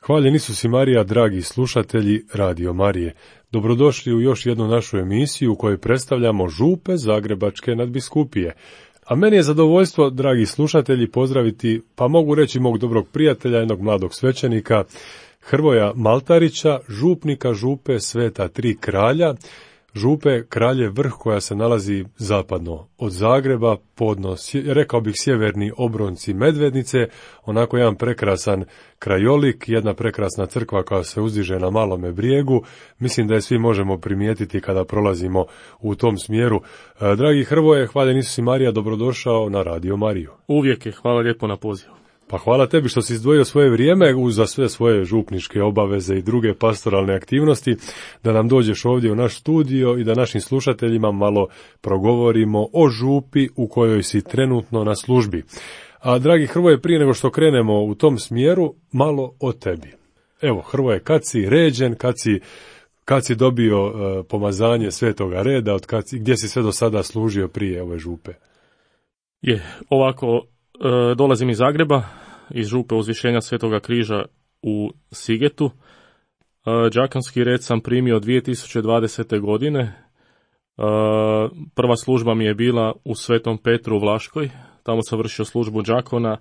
Hvaljen Isus i Marija, dragi slušatelji Radio Marije. Dobrodošli u još jednu našu emisiju u kojoj predstavljamo župe Zagrebačke nadbiskupije. A meni je zadovoljstvo, dragi slušatelji, pozdraviti, pa mogu reći mog dobrog prijatelja, jednog mladog svećenika, Hrvoja Maltarića, župnika župe Sveta Tri Kralja, župe Kraljev Vrh koja se nalazi zapadno od Zagreba, podno, rekao bih sjeverni obronci Medvednice, onako jedan prekrasan krajolik, jedna prekrasna crkva koja se uzdiže na Malome brijegu. Mislim da je svi možemo primijetiti kada prolazimo u tom smjeru. Dragi Hrvoje, hvaljen Isus i Marija, dobrodošao na Radio Mariju. Uvijek je, hvala lijepo na pozivu. Pa hvala tebi što si izdvojio svoje vrijeme za sve svoje župničke obaveze i druge pastoralne aktivnosti, da nam dođeš ovdje u naš studio i da našim slušateljima malo progovorimo o župi u kojoj si trenutno na službi. A dragi Hrvoje, prije nego što krenemo u tom smjeru, malo o tebi. Evo, Hrvoje, kad si ređen, kad si dobio pomazanje Svetoga reda, gdje si sve do sada služio prije ove župe? Ovako, dolazim iz Zagreba, iz župe Uzvišenja Svetoga križa u Sigetu. Đakonski red sam primio 2020. godine. Prva služba mi je bila u Svetom Petru u Vlaškoj. Tamo sam vršio službu đakona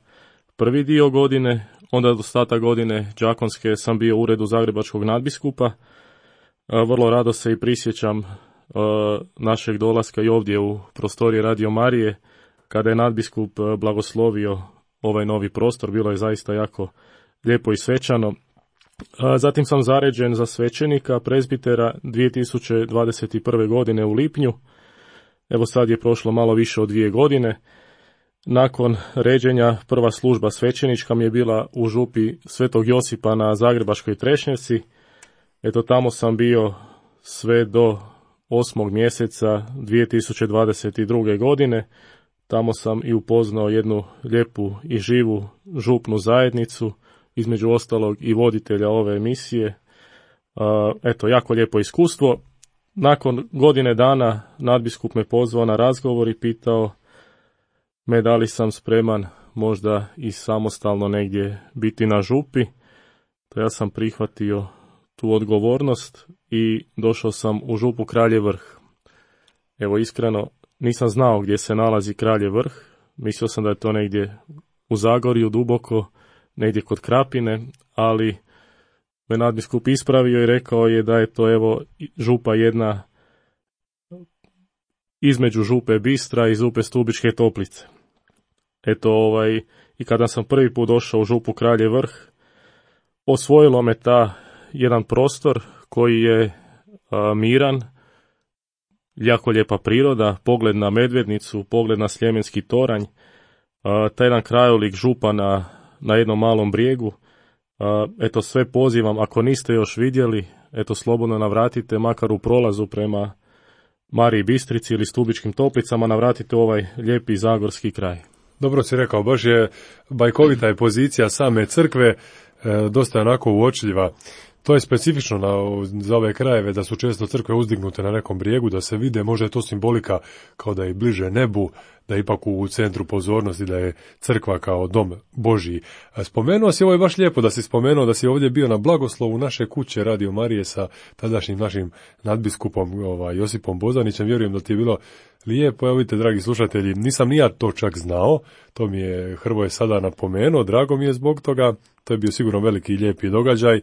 prvi dio godine, onda do ostatak godine đakonske sam bio u uredu Zagrebačkog nadbiskupa. Vrlo rado se i prisjećam našeg dolaska i ovdje u prostorije Radio Marije, kada je nadbiskup blagoslovio ovaj novi prostor. Bilo je zaista jako lijepo i svečano. Zatim sam zaređen za svećenika prezbitera 2021. godine u lipnju. Evo sad je prošlo malo više od 2 godine. Nakon ređenja prva služba svećenička mi je bila u župi Svetog Josipa na Zagrebačkoj Trešnjevci. Eto, tamo sam bio sve do 8. mjeseca 2022. godine. Tamo sam i upoznao jednu lijepu i živu župnu zajednicu, između ostalog i voditelja ove emisije. Eto, jako lijepo iskustvo. Nakon godine dana nadbiskup me pozvao na razgovor i pitao me da li sam spreman možda i samostalno negdje biti na župi. To ja sam prihvatio tu odgovornost i došao sam u župu Kraljev Vrh. Evo, iskreno, nisam znao gdje se nalazi Kraljev Vrh. Mislio sam da je to negdje u Zagorju, duboko, negdje kod Krapine, ali me nadbiskup ispravio i rekao je da je to evo župa jedna između župe Bistra i župe Stubičke Toplice. Eto, i kada sam prvi put došao u župu Kraljev Vrh, osvojilo me jedan prostor koji je miran, jako lijepa priroda, pogled na Medvednicu, pogled na Sljemenski toranj, taj jedan krajolik župa na jednom malom brijegu. Eto, sve pozivam, ako niste još vidjeli, eto, slobodno navratite, makar u prolazu prema Mariji Bistrici ili Stubičkim Toplicama, navratite ovaj lijepi zagorski kraj. Dobro si rekao, baš je bajkovita je pozicija same crkve, dosta onako uočljiva. To je specifično za ove krajeve, da su često crkve uzdignute na nekom brijegu, da se vide, možda je to simbolika kao da je bliže nebu, da je ipak u centru pozornosti, da je crkva kao dom Božji. Spomenuo si, ovo je baš lijepo da si spomenuo da si ovdje bio na blagoslovu naše kuće Radio Marije sa tadašnjim našim nadbiskupom Josipom Bozanićem. Vjerujem da ti je bilo lijepo. Evo vidite, dragi slušatelji, nisam ni ja to čak znao, to mi je Hrvoje sada napomenuo, drago mi je zbog toga, to je bio sigurno veliki i lijepi događaj.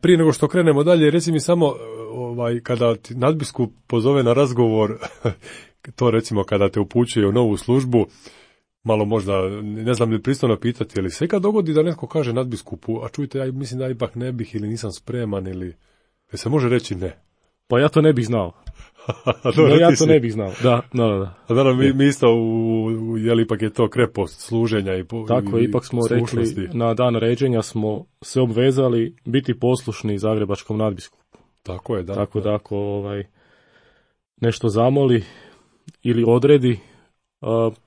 Prije nego što krenemo dalje, reci mi samo, kada ti nadbiskup pozove na razgovor, to recimo kada te upućuje u novu službu, malo možda, ne znam li pristojno pitati, ali se kad dogodi da netko kaže nadbiskupu, a čujte, ja mislim da ipak ne bih ili nisam spreman, ili se može reći ne? Pa ja to ne bih znao. Ja to ne bih znao, da. A naravno, mi isto, jel ipak je to krepost služenja i tako, ipak smo rekli, na dan ređenja smo se obvezali biti poslušni Zagrebačkom nadbiskupu. Tako je, da. Tako da ako nešto zamoli ili odredi,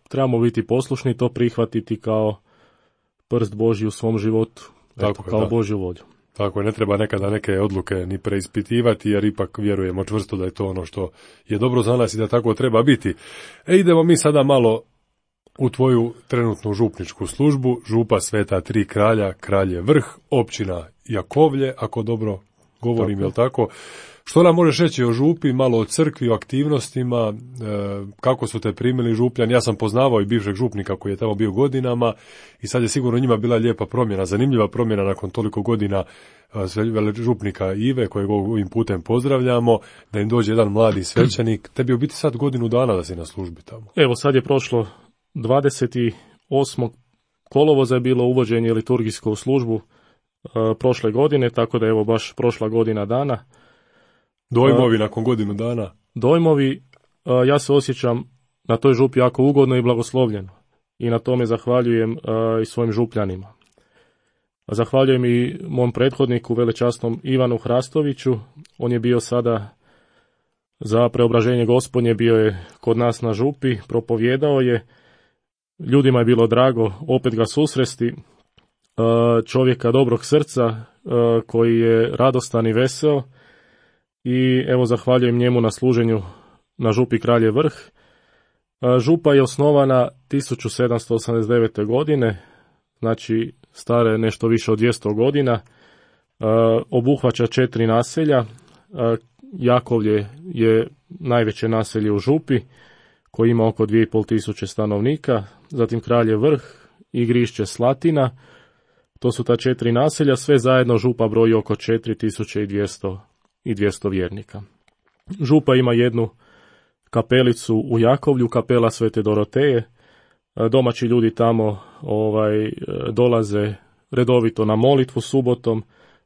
trebamo biti poslušni, to prihvatiti kao prst Božji u svom životu, kao Božju volju. Tako je, ne treba nekada neke odluke ni preispitivati, jer ipak vjerujemo čvrsto da je to ono što je dobro za nas i da tako treba biti. Idemo mi sada malo u tvoju trenutnu župničku službu, župa Sveta Tri kralja, Kraljev Vrh, općina Jakovlje, ako dobro govorim, jel tako? Što nam možeš reći o župi, malo o crkvi, o aktivnostima, kako su te primili župljani? Ja sam poznavao i bivšeg župnika koji je tamo bio godinama i sad je sigurno njima bila lijepa promjena, zanimljiva promjena nakon toliko godina župnika Ive, kojeg ovim putem pozdravljamo, da im dođe jedan mladi svećenik. Tebi je u biti sad godinu dana da si na službi tamo. Evo, sad je prošlo 28. kolovoza je bilo uvođenje liturgijsko u službu prošle godine, tako da evo baš prošla godina dana. Dojmovi nakon godinu dana? Dojmovi, ja se osjećam na toj župi jako ugodno i blagoslovljeno i na tome zahvaljujem i svojim župljanima. Zahvaljujem i mom prethodniku, velečasnom Ivanu Hrastoviću. On je bio sada za preobraženje Gospodnje, bio je kod nas na župi, propovijedao je. Ljudima je bilo drago opet ga susresti, čovjeka dobrog srca koji je radostan i veseo. I evo zahvaljujem njemu na služenju na župi Kraljev Vrh. Župa je osnovana 1789. godine, znači stara je nešto više od 200 godina, obuhvaća 4 naselja. Jakovlje je najveće naselje u župi koji ima oko 2500 stanovnika, zatim Kraljev Vrh i Grišće Slatina. To su ta 4 naselja, sve zajedno župa broji oko 4200 vjernika. Župa ima jednu kapelicu u Jakovlju, kapela Svete Doroteje. Domaći ljudi tamo dolaze redovito na molitvu subotom,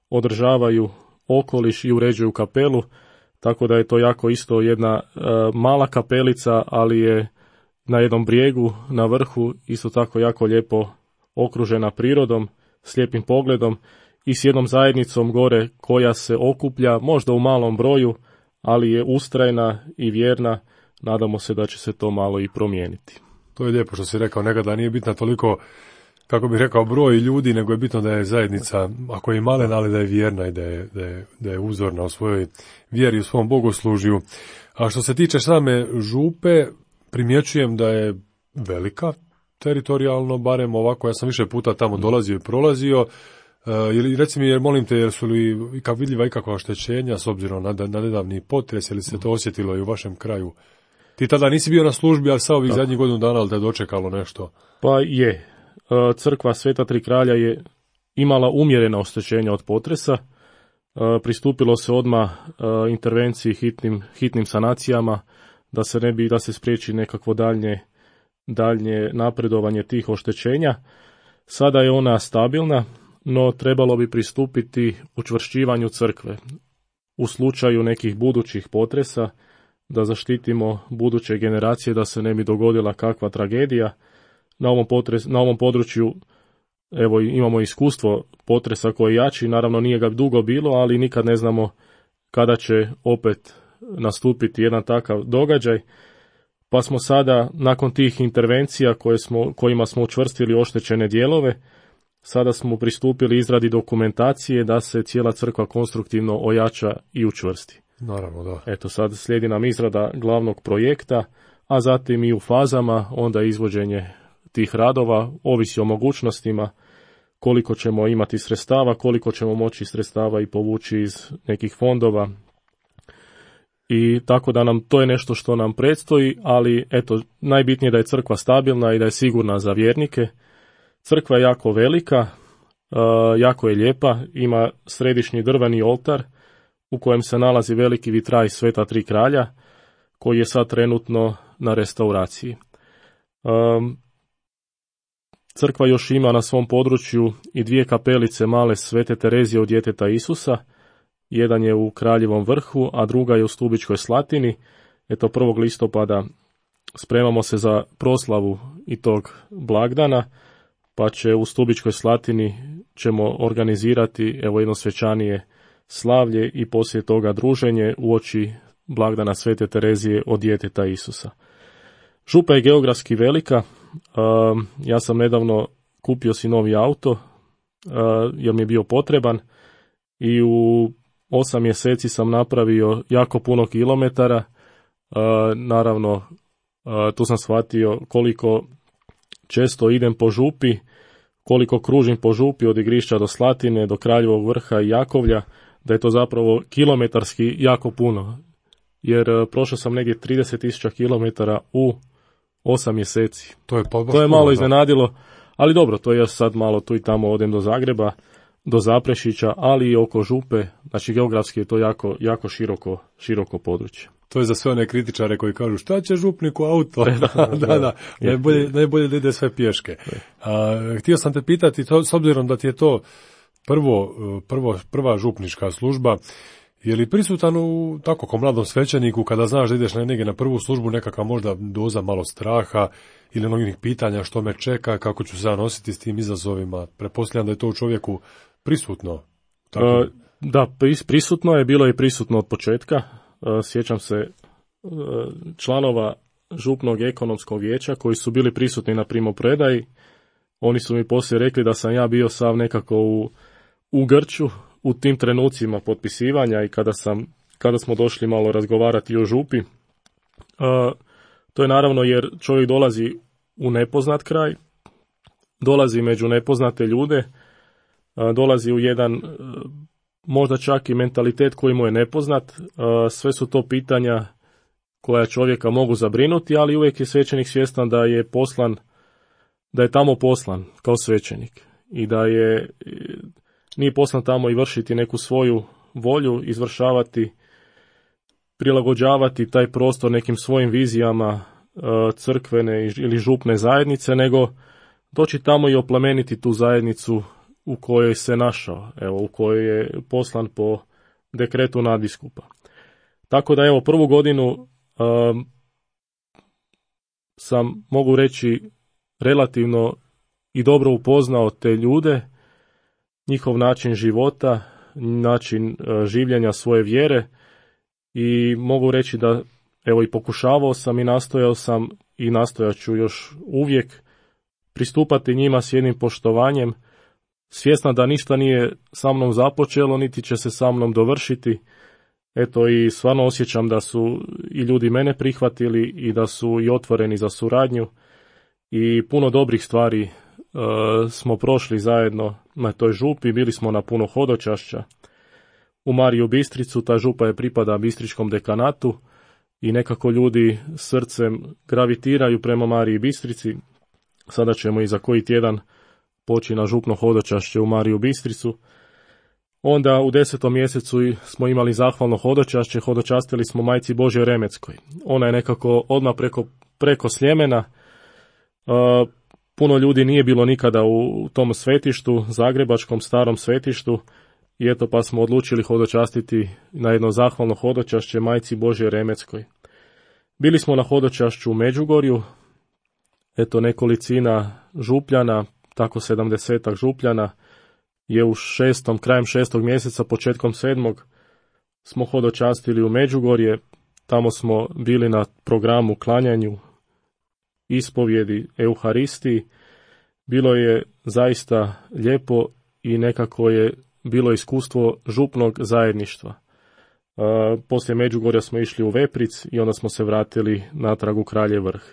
održavaju okoliš i uređuju kapelu, tako da je to jako isto jedna mala kapelica, ali je na jednom brijegu, na vrhu, isto tako jako lijepo okružena prirodom, s lijepim pogledom i s jednom zajednicom gore koja se okuplja, možda u malom broju, ali je ustrajna i vjerna. Nadamo se da će se to malo i promijeniti. To je lijepo što si rekao, nekada nije bitna toliko, kako bih rekao, broj ljudi, nego je bitno da je zajednica, ako je malena, ali da je vjerna i da je uzorna u svojoj vjeri, u svom bogoslužju. A što se tiče same župe, primjećujem da je velika, teritorijalno, barem ovako, ja sam više puta tamo dolazio i prolazio. Reci mi, molim te, jer su li vidljiva ikakva oštećenja s obzirom na nedavni potres, ili se to osjetilo i u vašem kraju? Ti tada nisi bio na službi, ali sa ovih zadnjih godinu dana, ali te je dočekalo nešto? Pa je. Crkva Sveta Tri kralja je imala umjerena oštećenja od potresa. Pristupilo se odmah intervenciji, hitnim sanacijama, da se spriječi nekakvo daljnje napredovanje tih oštećenja. Sada je ona stabilna, no trebalo bi pristupiti učvršćivanju crkve u slučaju nekih budućih potresa, da zaštitimo buduće generacije, da se ne bi dogodila kakva tragedija. Na ovom području evo imamo iskustvo potresa koji je jači, naravno nije ga dugo bilo, ali nikad ne znamo kada će opet nastupiti jedan takav događaj. Pa smo sada, nakon tih intervencija kojima smo učvrstili oštećene dijelove, sada smo pristupili izradi dokumentacije da se cijela crkva konstruktivno ojača i učvrsti. Naravno, da. Eto, sad slijedi nam izrada glavnog projekta, a zatim i u fazama onda izvođenje tih radova, ovisi o mogućnostima, koliko ćemo imati sredstava, koliko ćemo moći sredstava i povući iz nekih fondova. I tako da nam to je nešto što nam predstoji, ali eto, najbitnije je da je crkva stabilna i da je sigurna za vjernike. Crkva je jako velika, jako je lijepa, ima središnji drveni oltar u kojem se nalazi veliki vitraj Sveta Tri kralja, koji je sad trenutno na restauraciji. Crkva još ima na svom području i 2 kapelice male Svete Terezije od djeteta Isusa. Jedan je u Kraljevom Vrhu, a druga je u Stubičkoj Slatini. Eto, 1. listopada spremamo se za proslavu i tog blagdana, pa će u Stubičkoj Slatini ćemo organizirati jedno svečanije slavlje i poslije toga druženje uoči blagdana Svete Terezije od djeteta Isusa. Župa je geografski velika. Ja sam nedavno kupio si novi auto jer mi je bio potreban i u 8 mjeseci sam napravio jako puno kilometara. Naravno, tu sam shvatio koliko često idem po župi, koliko kružim po župi od Igrišća do Slatine, do Kraljevog Vrha i Jakovlja, da je to zapravo kilometarski jako puno. Jer prošao sam negdje 30.000 kilometara u 8 mjeseci. To je malo iznenadilo, ali dobro, to je sad malo tu i tamo odem do Zagreba, do Zaprešića, ali i oko Župe, znači geografski je to jako široko područje. To je za sve one kritičare koji kažu šta će župniku auto? Da. Najbolje da ide sve pješke. Htio sam te pitati, s obzirom da ti je to prva župnička služba, je li prisutan u tako ko mladom svećeniku kada znaš da ideš negdje na prvu službu nekakva možda doza malo straha ili mnogih pitanja što me čeka, kako ću se nositi s tim izazovima? Pretpostavljam da je to u čovjeku prisutno. Tako. Da, prisutno je, bilo je prisutno od početka. Sjećam se članova župnog ekonomskog vijeća koji su bili prisutni na primopredaji. Oni su mi poslije rekli da sam ja bio sav nekako u grču u tim trenucima potpisivanja i kada smo došli malo razgovarati o župi. To je naravno jer čovjek dolazi u nepoznat kraj, dolazi među nepoznate ljude, dolazi u jedan možda čak i mentalitet koji mu je nepoznat. Sve su to pitanja koja čovjeka mogu zabrinuti, ali uvijek je svećenik svjestan da je tamo poslan kao svećenik i da nije poslan tamo i vršiti neku svoju volju, izvršavati, prilagođavati taj prostor nekim svojim vizijama crkvene ili župne zajednice, nego doći tamo i oplemeniti tu zajednicu u kojoj se našao, u kojoj je poslan po dekretu nadbiskupa. Tako da prvu godinu sam, mogu reći, relativno i dobro upoznao te ljude, njihov način života, način življenja svoje vjere i mogu reći da i pokušavao sam i nastojao sam i nastojat ću još uvijek pristupati njima s jednim poštovanjem, svjesna da ništa nije sa mnom započelo, niti će se sa mnom dovršiti. I stvarno osjećam da su i ljudi mene prihvatili i da su i otvoreni za suradnju i puno dobrih stvari smo prošli zajedno na toj župi. Bili smo na puno hodočašća u Mariju Bistricu, ta župa je pripada Bistričkom dekanatu i nekako ljudi srcem gravitiraju prema Mariji Bistrici. Sada ćemo i za koji tjedan poći na župno hodočašće u Mariju Bistricu. Onda u 10. mjesecu smo imali zahvalno hodočašće, hodočastili smo Majci Božjoj Remeckoj. Ona je nekako odmah preko Sljemena. Puno ljudi nije bilo nikada u tom svetištu, zagrebačkom starom svetištu, i pa smo odlučili hodočastiti na jedno zahvalno hodočašće Majci Božjoj Remeckoj. Bili smo na hodočašću u Međugorju, nekolicina župljana, tako 70 župljana, je krajem 6. mjeseca, početkom 7. smo hodočastili u Međugorje. Tamo smo bili na programu klanjanju, ispovjedi, euharistiji. Bilo je zaista lijepo i nekako je bilo iskustvo župnog zajedništva. Poslije Međugorja smo išli u Vepric i onda smo se vratili natrag u Kraljev Vrh.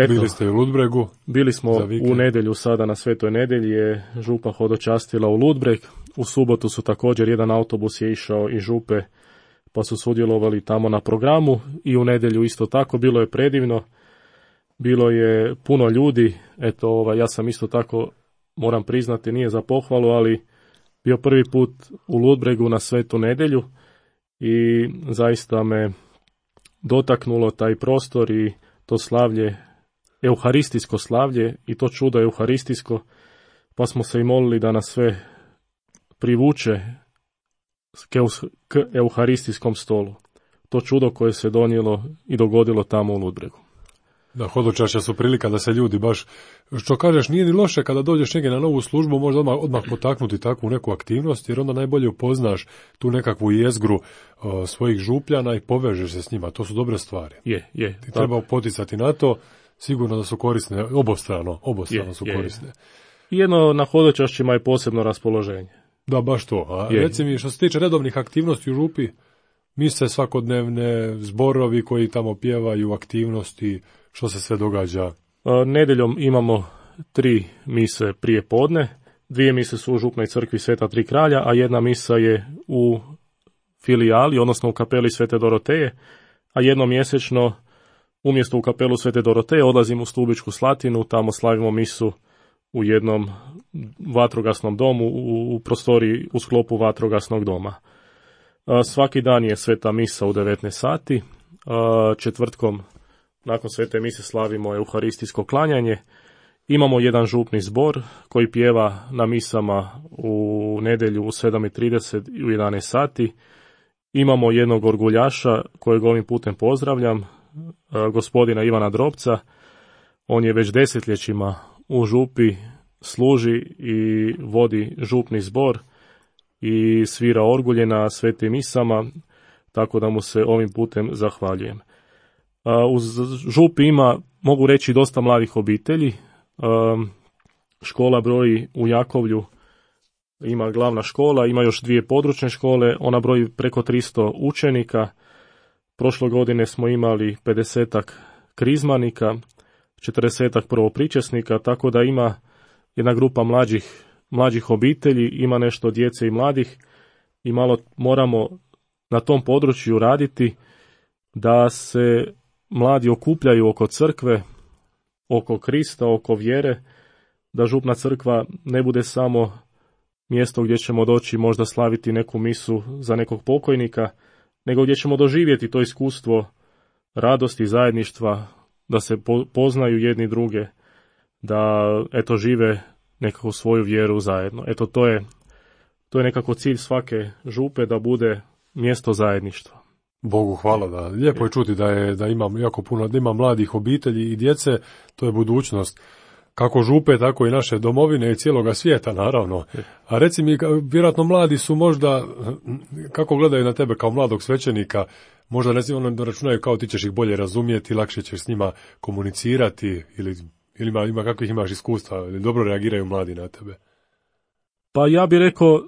Bili ste u Ludbregu? Bili smo u nedjelju, sada na Svetoj nedjelji je župa hodočastila u Ludbreg. U subotu su također jedan autobus je išao iz župe pa su sudjelovali tamo na programu i u nedjelju isto tako. Bilo je predivno, bilo je puno ljudi. Ja sam isto tako, moram priznati, nije za pohvalu, ali bio prvi put u Ludbregu na Svetu nedjelju i zaista me dotaknulo taj prostor i to slavlje, euharistijsko slavlje i to čudo euharistijsko, pa smo se i molili da nas sve privuče k euharistijskom stolu. To čudo koje se donijelo i dogodilo tamo u Ludbregu. Da, hodočašća su prilika da se ljudi baš, što kažeš, nije ni loše kada dođeš negdje na novu službu, možda odmah potaknuti takvu neku aktivnost, jer onda najbolje upoznaš tu nekakvu jezgru svojih župljana i povežeš se s njima. To su dobre stvari. Je. Ti treba poticati na to, sigurno da su korisne, obostrano su korisne. Jedno na hodočašćima je posebno raspoloženje. Da, baš to. A reci mi, što se tiče redovnih aktivnosti u župi, mise svakodnevne, zborovi koji tamo pjevaju, aktivnosti, što se sve događa? Nedjeljom imamo 3 mise prije podne, 2 mise su u župnoj crkvi Sveta Tri kralja, a 1 misa je u filijali, odnosno u kapeli Svete Doroteje, a jednom mjesečno umjesto u kapelu Svete Doroteje odlazimo u Stubičku Slatinu, tamo slavimo misu u jednom vatrogasnom domu u prostoriji u sklopu vatrogasnog doma. Svaki dan je sveta misa u 19 sati, četvrtkom nakon svete mise slavimo euharistijsko klanjanje, imamo jedan župni zbor koji pjeva na misama u nedjelju u 7:30 i u 11 sati, imamo jednog orguljaša kojeg ovim putem pozdravljam, gospodina Ivana Drobca. On je već desetljećima u župi, služi i vodi župni zbor i svira orgulje na svetim misama, tako da mu se ovim putem zahvaljujem. Uz župi ima, mogu reći, dosta mladih obitelji. Škola broji u Jakovlju, ima glavna škola, ima još 2 područne škole, ona broji preko 300 učenika. Prošle godine smo imali 50-ak krizmanika, 40-ak prvopričesnika, tako da ima jedna grupa mlađih obitelji, ima nešto djece i mladih i malo moramo na tom području raditi da se mladi okupljaju oko crkve, oko Krista, oko vjere, da župna crkva ne bude samo mjesto gdje ćemo doći možda slaviti neku misu za nekog pokojnika, nego gdje ćemo doživjeti to iskustvo radosti, zajedništva, da se poznaju jedni druge, da eto žive nekako svoju vjeru zajedno. Eto to je nekako cilj svake župe, da bude mjesto zajedništva. Bogu hvala, da lijepo je čuti da ima jako puno, da ima mladih obitelji i djece, to je budućnost kako župe, tako i naše domovine i cijeloga svijeta, naravno. A reci mi, vjerojatno mladi su možda, kako gledaju na tebe kao mladog svećenika, možda ne znam, ono računaju kao ti ćeš ih bolje razumjeti, lakše ćeš s njima komunicirati, ili ima kakvih imaš iskustva, ili dobro reagiraju mladi na tebe? Pa ja bih rekao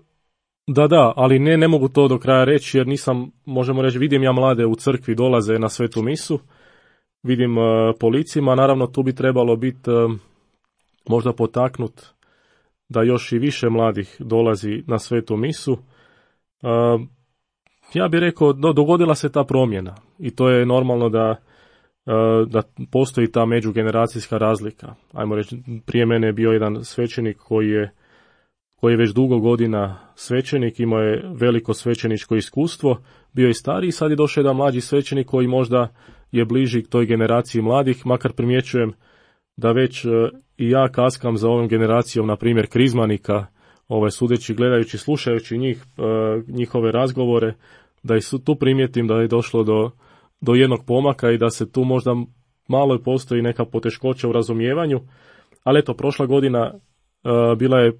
da, ali ne mogu to do kraja reći, jer nisam, možemo reći, vidim ja mlade u crkvi dolaze na svetu misu, vidim po licima, naravno tu bi trebalo biti možda potaknut da još i više mladih dolazi na svetu misu. Ja bih rekao, dogodila se ta promjena i to je normalno da postoji ta međugeneracijska razlika. Ajmo reći, prije mene je bio jedan svećenik koji je već dugo godina svećenik, imao je veliko svećeničko iskustvo, bio je stariji, sad je došao jedan mlađi svećenik koji možda je bliži toj generaciji mladih, makar primjećujem da već i ja kaskam za ovom generacijom, na primjer, krizmanika, sudeći, gledajući, slušajući njihove razgovore, da i tu primijetim da je došlo do jednog pomaka i da se tu možda malo postoji neka poteškoća u razumijevanju, ali eto, prošla godina bila je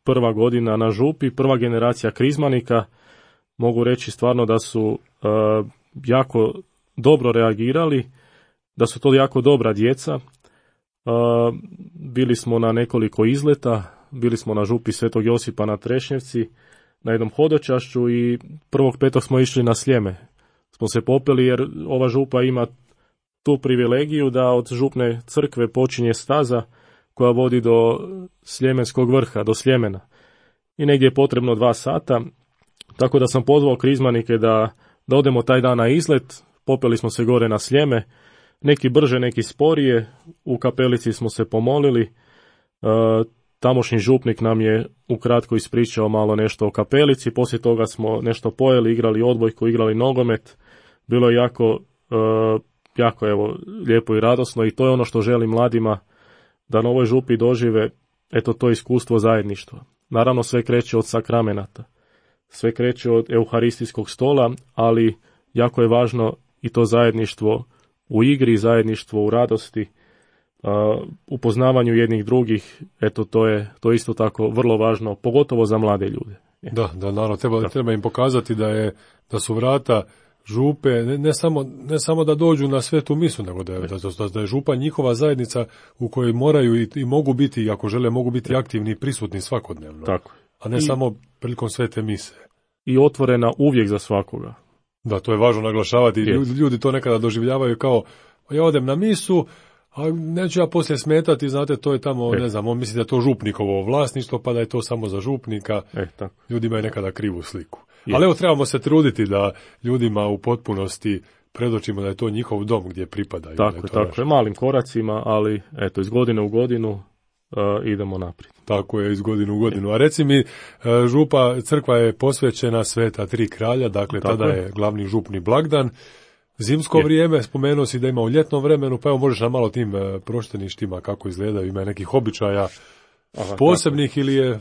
prva godina na župi, prva generacija krizmanika, mogu reći stvarno da su jako dobro reagirali, da su to jako dobra djeca. Bili smo na nekoliko izleta, bili smo na župi Svetog Josipa na Trešnjevci, na jednom hodočašću i 1.5. smo išli na Sljeme. Smo se popeli jer ova župa ima tu privilegiju da od župne crkve počinje staza koja vodi do Sljemenskog vrha, do Sljemena. I negdje je potrebno 2 sata, tako da sam pozvao krizmanike da odemo taj dan na izlet, popeli smo se gore na Sljeme, neki brže, neki sporije, u kapelici smo se pomolili, tamošnji župnik nam je ukratko ispričao malo nešto o kapelici, poslije toga smo nešto pojeli, igrali odbojku, igrali nogomet, bilo je jako lijepo i radosno i to je ono što želim mladima, da na ovoj župi dožive to iskustvo zajedništva. Naravno sve kreće od sakramenata, sve kreće od euharistijskog stola, ali jako je važno i to zajedništvo u igri, zajedništvo u radosti, u poznavanju jednih drugih, to je isto tako vrlo važno, pogotovo za mlade ljude. Da, naravno, treba im pokazati da su vrata župe, ne samo da dođu na svetu misu, nego da je župa njihova zajednica u kojoj moraju i mogu biti, ako žele, mogu biti aktivni i prisutni svakodnevno. Tako. A ne samo prilikom svete mise. I otvorena uvijek za svakoga. Da, to je važno naglašavati. Ljudi to nekada doživljavaju kao, ja odem na misu, A neću ja poslije smetati, znate, to je tamo, ne znam, on misli da je to župnikovo vlasništvo, pa da je to samo za župnika. Tako. Ljudi imaju nekada krivu sliku. Ali evo, trebamo se truditi da ljudima u potpunosti predočimo da je to njihov dom gdje pripada. Tako je, malim koracima, ali eto, iz godine u godinu idemo naprijed. Tako je, iz godine u godinu. A reci mi, crkva je posvećena Sveta Tri kralja, dakle tada je glavni župni blagdan. Zimsko vrijeme, spomenuo si da ima u ljetnom vremenu, pa evo možeš nam malo tim prošteništima kako izgledaju, ima nekih običaja posebnih ili je...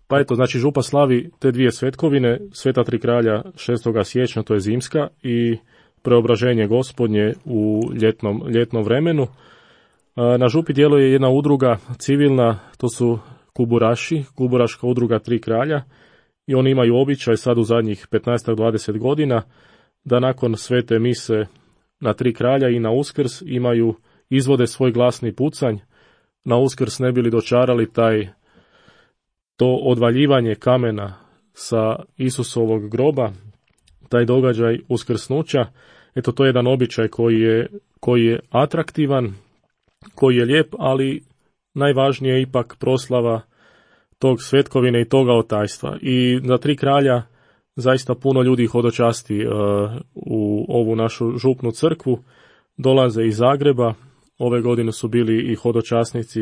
Pa eto, znači župa slavi te dvije svetkovine, Sveta Tri kralja 6. siječnja, to je zimska, i Preobraženje Gospodnje u ljetnom vremenu. Na župi djeluje jedna udruga civilna, to su kuburaši, kuburaška udruga Tri kralja, i oni imaju običaj sad u zadnjih 15-20 godina da nakon svete mise na Tri kralja i na Uskrs izvode svoj glasni pucanj. Na Uskrs ne bili dočarali to odvaljivanje kamena sa Isusovog groba, taj događaj uskrsnuća. Eto, to je jedan običaj koji je atraktivan, koji je lijep, ali najvažnije je ipak proslava tog svetkovine i toga otajstva. I na Tri kralja zaista puno ljudi hodočasti u ovu našu župnu crkvu, dolaze iz Zagreba. Ove godine su bili i hodočasnici,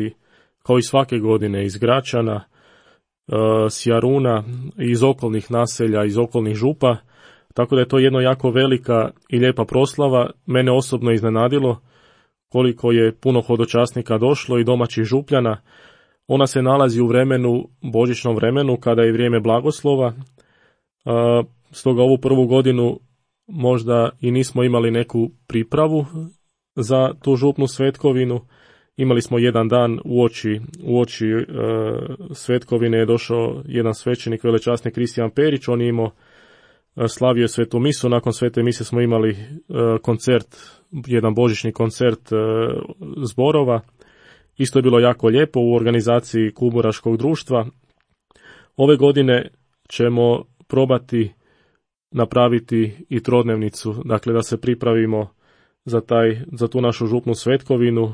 kao i svake godine, iz Gračana, s Jaruna, iz okolnih naselja, iz okolnih župa, tako da je to jedno jako velika i lijepa proslava. Mene osobno iznenadilo koliko je puno hodočasnika došlo i domaćih župljana. Ona se nalazi u božićnom vremenu, kada je vrijeme blagoslova, stoga ovu prvu godinu možda i nismo imali neku pripravu za tu župnu svetkovinu. Imali smo jedan dan uoči svetkovine je došao jedan svećenik, velečasnik Kristijan Perić, on je imao, slavio svetu misu, nakon svete mise smo imali koncert, jedan božićni koncert zborova, isto je bilo jako lijepo u organizaciji Kuburaškog društva. Ove godine ćemo probati napraviti i trodnevnicu, dakle da se pripravimo za tu našu župnu svetkovinu,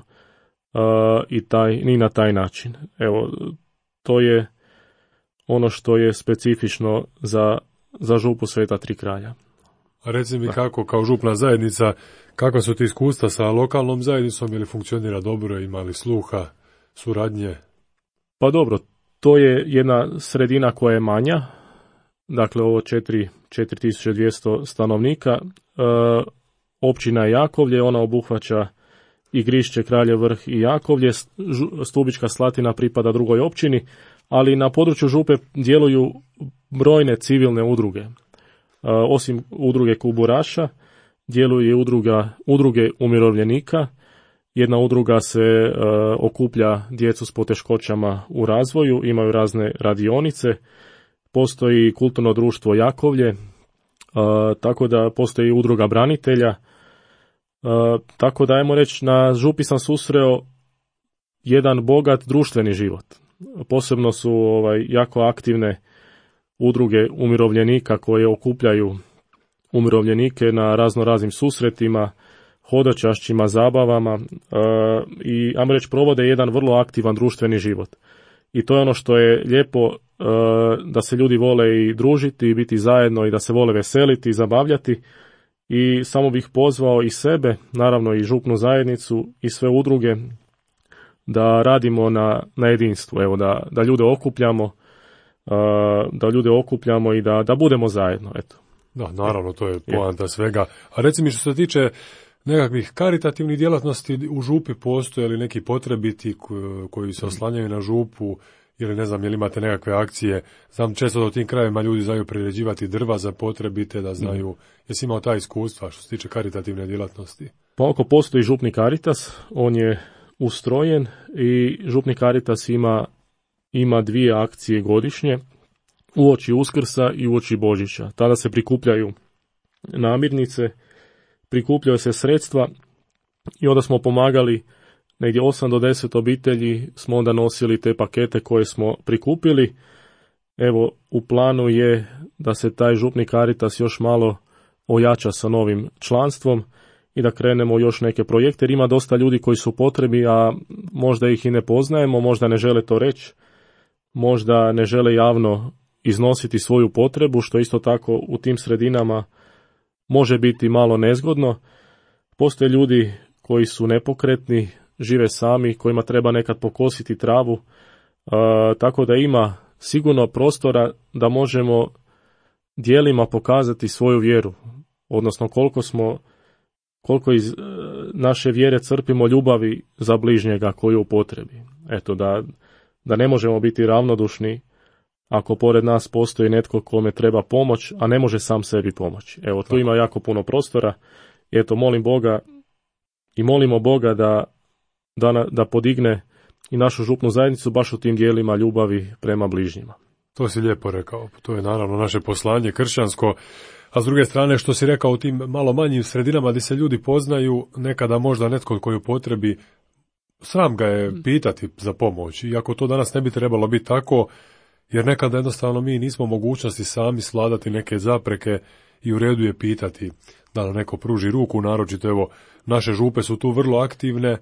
i na taj način. Evo, to je ono što je specifično za župu Sveta Tri kralja. A reci mi kako, kao župna zajednica, kakva su ti iskustva sa lokalnom zajednicom, ili funkcionira dobro, ima li sluha, suradnje? Pa dobro, to je jedna sredina koja je manja, dakle ovo 4200 stanovnika. Općina je Jakovlje, ona obuhvaća i Grišće, Kraljev Vrh i Jakovlje. Stubička Slatina pripada drugoj općini, ali na području župe djeluju brojne civilne udruge. Osim udruge kuburaša, djeluje udruge umirovljenika. Jedna udruga se okuplja djecu s poteškoćama u razvoju, imaju razne radionice. Postoji kulturno društvo Jakovlje, tako da postoji udruga branitelja. Tako da, ajmo reći, na župi sam susreo jedan bogat društveni život. Posebno su jako aktivne udruge umirovljenika koje okupljaju umirovljenike na raznim susretima, hodočašćima, zabavama i, ajmo reći, provode jedan vrlo aktivan društveni život. I to je ono što je lijepo, da se ljudi vole i družiti i biti zajedno i da se vole veseliti i zabavljati. I samo bih pozvao i sebe, naravno i župnu zajednicu i sve udruge, da radimo na jedinstvu, evo, da ljude okupljamo i da budemo zajedno, eto. Da, naravno, to je poanta svega. A reci mi, što se tiče nekakvih karitativnih djelatnosti u župi, postoje li neki potrebiti koji se oslanjaju na župu, ili ne znam, jel imate nekakve akcije? Znam često da u tim krajevima ljudi znaju priređivati drva za potrebite, da znaju, jesi imao ta iskustva što se tiče karitativne djelatnosti? Pa ako postoji župni Caritas, on je ustrojen i župni Caritas ima dvije akcije godišnje, uoči Uskrsa i uoči Božića. Tada se prikupljaju namirnice, prikupljaju se sredstva i onda smo pomagali negdje 8 do 10 obitelji, smo onda nosili te pakete koje smo prikupili. Evo, u planu je da se taj župni Caritas još malo ojača sa novim članstvom i da krenemo u još neke projekte, jer ima dosta ljudi koji su potrebi, a možda ih i ne poznajemo, možda ne žele to reći, možda ne žele javno iznositi svoju potrebu, što isto tako u tim sredinama može biti malo nezgodno. Postoje ljudi koji su nepokretni, žive sami, kojima treba nekad pokositi travu, tako da ima sigurno prostora da možemo dijelima pokazati svoju vjeru, odnosno koliko iz naše vjere crpimo ljubavi za bližnjega koji je u potrebi. Eto, da ne možemo biti ravnodušni ako pored nas postoji netko kome treba pomoć, a ne može sam sebi pomoći. Evo, tu ima jako puno prostora. Eto, molimo Boga da podigne i našu župnu zajednicu baš u tim dijelima ljubavi prema bližnjima. To si lijepo rekao. To je naravno naše poslanje kršćansko. A s druge strane, što si rekao, u tim malo manjim sredinama gdje se ljudi poznaju, nekada možda netko koji u potrebi, sram ga je pitati za pomoć. Iako to danas ne bi trebalo biti tako, jer nekada jednostavno mi nismo u mogućnosti sami svladati neke zapreke i u redu je pitati da nam neko pruži ruku, naročito evo, naše župe su tu vrlo aktivne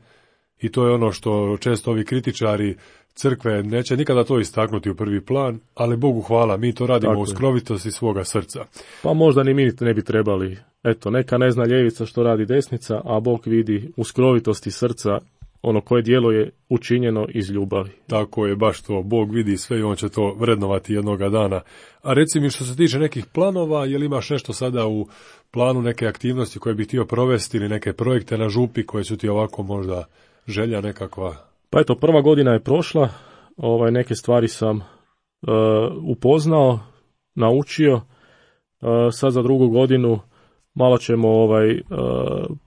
i to je ono što često ovi kritičari crkve neće nikada to istaknuti u prvi plan, ali Bogu hvala, mi to radimo u skrovitosti svoga srca. Pa možda ni mi ne bi trebali. Eto, neka ne zna ljevica što radi desnica, a Bog vidi u skrovitosti srca ono koje djelo je učinjeno iz ljubavi. Tako je, baš to. Bog vidi sve i on će to vrednovati jednoga dana. A reci mi, što se tiče nekih planova, je li imaš nešto sada u planu, neke aktivnosti koje bi htio provesti ili neke projekte na župi koje su ti ovako možda želja nekakva? Pa eto, prva godina je prošla, neke stvari sam upoznao, naučio, sad za drugu godinu malo ćemo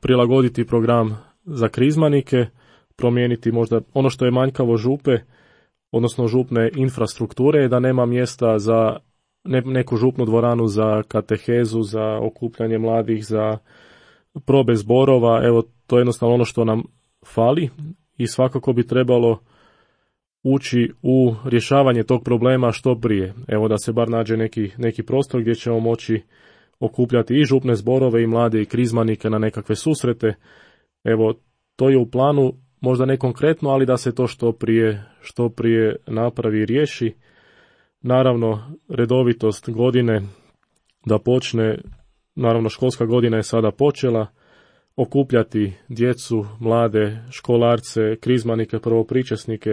prilagoditi program za krizmanike, promijeniti možda ono što je manjkavo župe, odnosno župne infrastrukture, da nema mjesta za neku župnu dvoranu za katehezu, za okupljanje mladih, za probe zborova. Evo, to je jednostavno ono što nam fali i svakako bi trebalo ući u rješavanje tog problema što prije. Evo, da se bar nađe neki prostor gdje ćemo moći okupljati i župne zborove i mlade i krizmanike na nekakve susrete. Evo, to je u planu, možda ne konkretno, ali da se to što prije napravi i riješi. Naravno, redovitost godine da počne, naravno školska godina je sada počela, okupljati djecu, mlade, školarce, krizmanike, prvopričesnike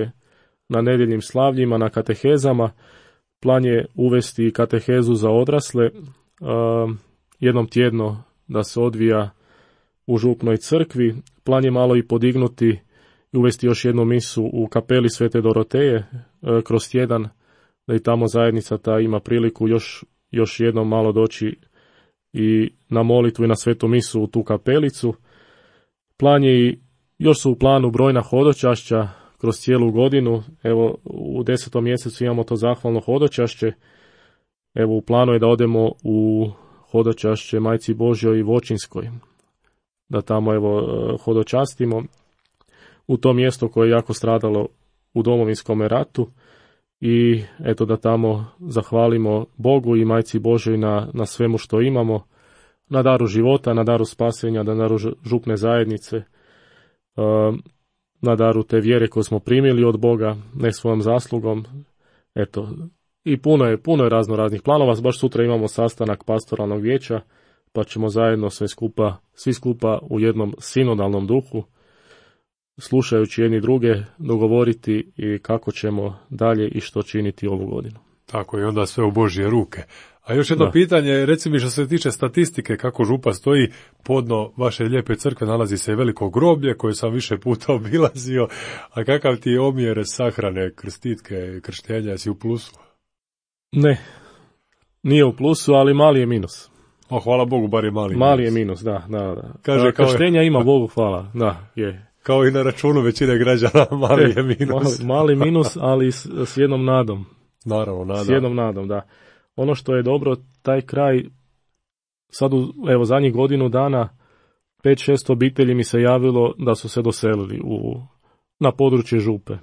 na nedjeljnim slavljima, na katehezama. Plan je uvesti katehezu za odrasle, jednom tjedno da se odvija u župnoj crkvi. Plan je malo i podignuti i uvesti još jednu misu u kapeli Svete Doroteje kroz tjedan, da i tamo zajednica ta ima priliku još jednom malo doći i na molitvu i na svetu misu u tu kapelicu. Plan je i još su u planu brojna hodočašća kroz cijelu godinu. Evo, u 10. mjesecu imamo to zahvalno hodočašće. Evo, u planu je da odemo u hodočašće Majci Božjoj i Voćinskoj, da tamo hodočastimo u to mjesto koje je jako stradalo u Domovinskom ratu i eto da tamo zahvalimo Bogu i Majci Božjoj na svemu što imamo, na daru života, na daru spasenja, na daru župne zajednice, na daru te vjere koju smo primili od Boga, ne svojom zaslugom. Eto, i puno je raznih planova. Baš sutra imamo sastanak pastoralnog vijeća, pa ćemo zajedno svi skupa u jednom sinodalnom duhu, slušajući jedni druge, dogovoriti i kako ćemo dalje i što činiti ovu godinu. Tako je, onda sve u Božje ruke. A još jedno pitanje, reci mi što se tiče statistike, kako župa stoji, podno vaše lijepe crkve nalazi se veliko groblje koje sam više puta obilazio, a kakav ti je omjer sahrane, krstitke, krštenja, jesi u plusu? Ne, nije u plusu, ali mali je minus. O, hvala Bogu, bar je mali. Mali je minus, da. Kaže, krštenja ima, Bogu hvala, da, je. Kao i na računu većine građana, mali je minus. Mali minus, ali s jednom nadom. Naravno, nadam. S jednom nadom, da. Ono što je dobro, taj kraj, sad evo zadnjih godinu dana, 5-6 obitelji mi se javilo da su se doselili na područje župe.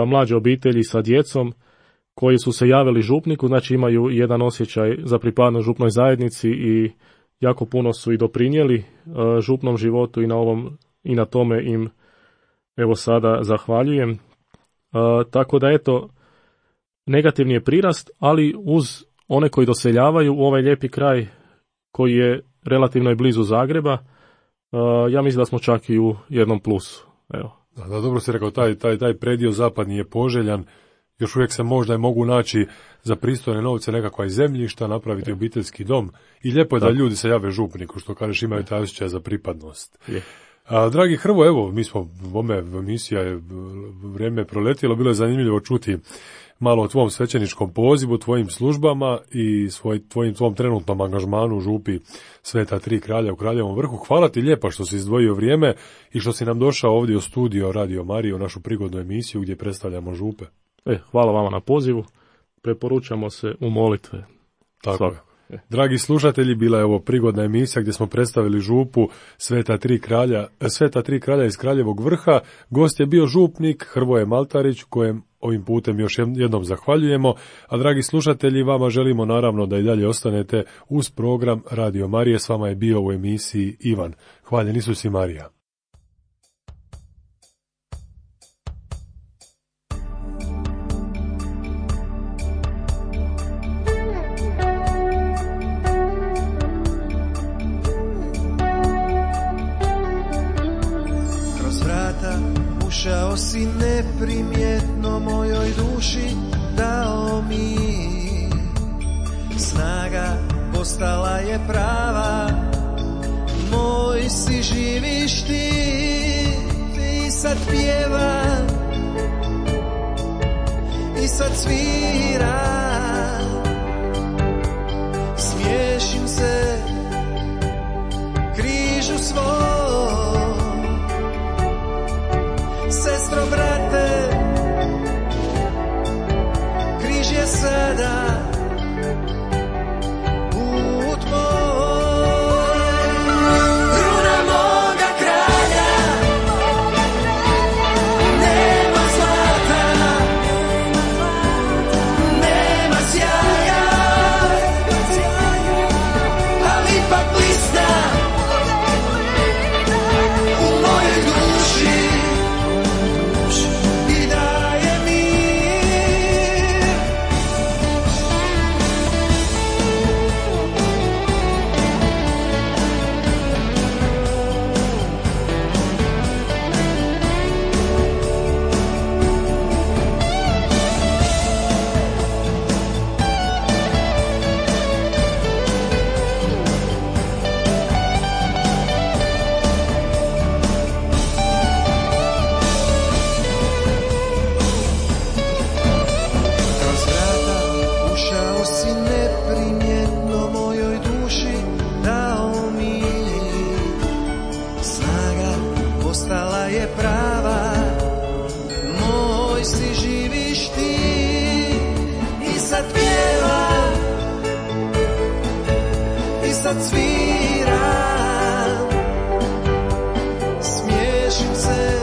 Mlađe obitelji sa djecom koji su se javili župniku, znači imaju jedan osjećaj za pripadnost župnoj zajednici i jako puno su i doprinijeli župnom životu i na tome im evo sada zahvaljujem. Tako da eto, negativni je prirast, ali uz one koji doseljavaju u ovaj lijepi kraj koji je relativno i blizu Zagreba, ja mislim da smo čak i u jednom plusu. Evo. Da, dobro si rekao, taj predio zapadni je poželjan, još uvijek se možda mogu naći za pristojne novce nekakva zemljišta, napraviti obiteljski dom i lijepo je da ljudi se jave župniku, što kažeš, imaju taj osjećaj za pripadnost. Dragi Hrvo, evo, mi smo, emisija je vrijeme proletilo, bilo je zanimljivo čuti malo o tvom svećeničkom pozivu, tvojim službama i tvom trenutnom angažmanu u župi Sveta Tri kralja u Kraljevom Vrhu. Hvala ti lijepa što si izdvojio vrijeme i što si nam došao ovdje u studio Radio Marije u našu prigodnu emisiju gdje predstavljamo župe. Hvala vama na pozivu. Preporučamo se u molitve. Tako je. Dragi slušatelji, bila je ovo prigodna emisija gdje smo predstavili župu Sveta Tri kralja iz Kraljevog Vrha. Gost je bio župnik Hrvoje Maltarić, kojem ovim putem još jednom zahvaljujemo. A dragi slušatelji, vama želimo naravno da i dalje ostanete uz program Radio Marije. S vama je bio u emisiji Ivan. Hvaljen Isus i Marija. Ušao si neprimjetno mojoj duši, dao mi snaga, postala je prava. Moj si, živiš ti sad pjeva i sad svira. Smiješim se križu svom, sestro, brate, križ je sada put moj. Kruna moga kralja, nema zlata, nema sjaja, ali ipak blista u mojoj duši. Sad svira, smiješim se